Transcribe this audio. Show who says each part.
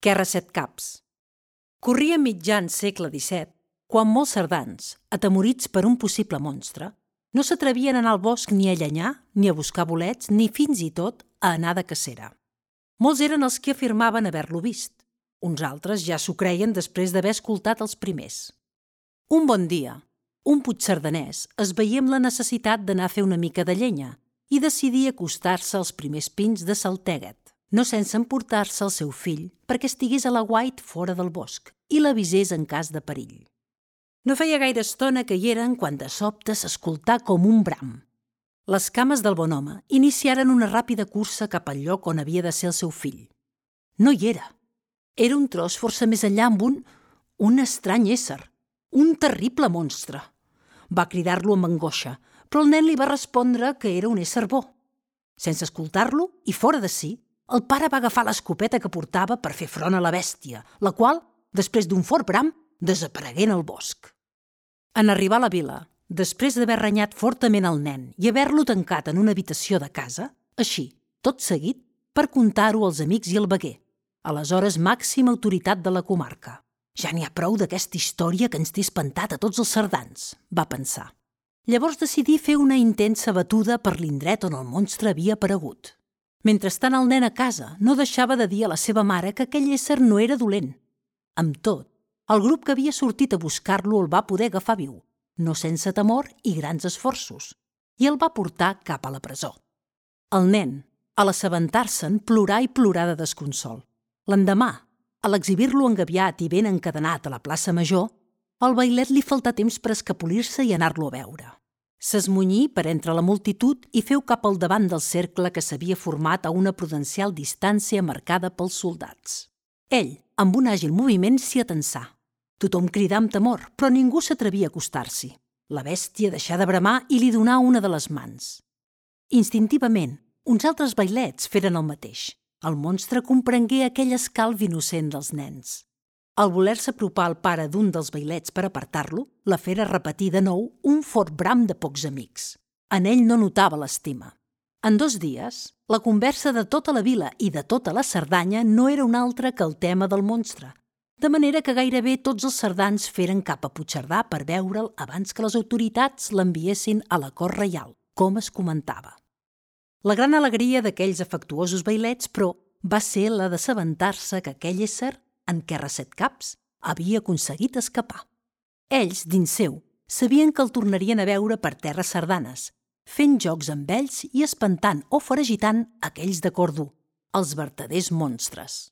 Speaker 1: Guerra set caps. Corria mitjan segle XVII, quan molts cerdans, atemorits per un possible monstre, no s'atrevien a anar al bosc ni a llenyar, ni a buscar bolets, ni fins i tot a anar de cacera. Molts eren els que afirmaven haver-lo vist. Uns altres ja s'ho creien després d'haver escoltat els primers. Un bon dia, un puigcerdanès es veia amb la necessitat d'anar a fer una mica de llenya i decidí acostar-se als primers pins de Salteguet, no sense emportar-se el seu fill perquè estigués a l'aguait fora del bosc i l'avisés en cas de perill. No feia gaire estona que hi eren quan de sobte s'escoltà com un bram. Les cames del bon home iniciaren una ràpida cursa cap al lloc on havia de ser el seu fill. No hi era. Era un tros força més enllà amb un estrany ésser, un terrible monstre. Va cridar-lo amb angoixa, però el nen li va respondre que era un ésser bo. Sense escoltar-lo, i fora de si, el pare va agafar l'escopeta que portava per fer front a la bèstia, la qual, després d'un fort bram, desaparegué en el bosc. En arribar a la vila, després d'haver renyat fortament el nen i haver-lo tancat en una habitació de casa, així, tot seguit, per contar-ho als amics i al veguer, aleshores màxima autoritat de la comarca. Ja n'hi ha prou d'aquesta història que ens té espantat a tots els cerdans, va pensar. Llavors decidí fer una intensa batuda per l'indret on el monstre havia aparegut. Mentrestant el nen a casa no deixava de dir a la seva mare que aquell ésser no era dolent. Amb tot, el grup que havia sortit a buscar-lo el va poder agafar viu, no sense temor i grans esforços, i el va portar cap a la presó. El nen, a l'assabentar-se'n, plorà i plorà de desconsol. L'endemà, a l'exhibir-lo engabiat i ben encadenat a la plaça Major, al bailet li faltà temps per escapolir-se i anar-lo a veure. S'esmunyí per entre la multitud i feu cap al davant del cercle que s'havia format a una prudencial distància marcada pels soldats. Ell, amb un àgil moviment, s'hi atensà. Tothom cridà amb temor, però ningú s'atrevia a acostar-s'hi. La bèstia deixà de bramar i li donà una de les mans. Instintivament, uns altres bailets feren el mateix. El monstre comprengué aquell escalf innocent dels nens. Al voler-se apropar al pare d'un dels bailets per apartar-lo, la fera repetí de nou un fort bram de pocs amics. En ell no notava l'estima. En 2 dies, la conversa de tota la vila i de tota la Cerdanya no era un altre que el tema del monstre, de manera que gairebé tots els cerdans feren cap a Puigcerdà per veure'l abans que les autoritats l'enviessin a la cort reial, com es comentava. La gran alegria d'aquells afectuosos bailets, però, va ser la d'assabentar-se que aquell ésser, en Guerra set caps, havia aconseguit escapar. Ells, dins seu, sabien que el tornarien a veure per terres cerdanes, fent jocs amb ells i espantant o foragitant aquells de cor dur, els vertaders monstres.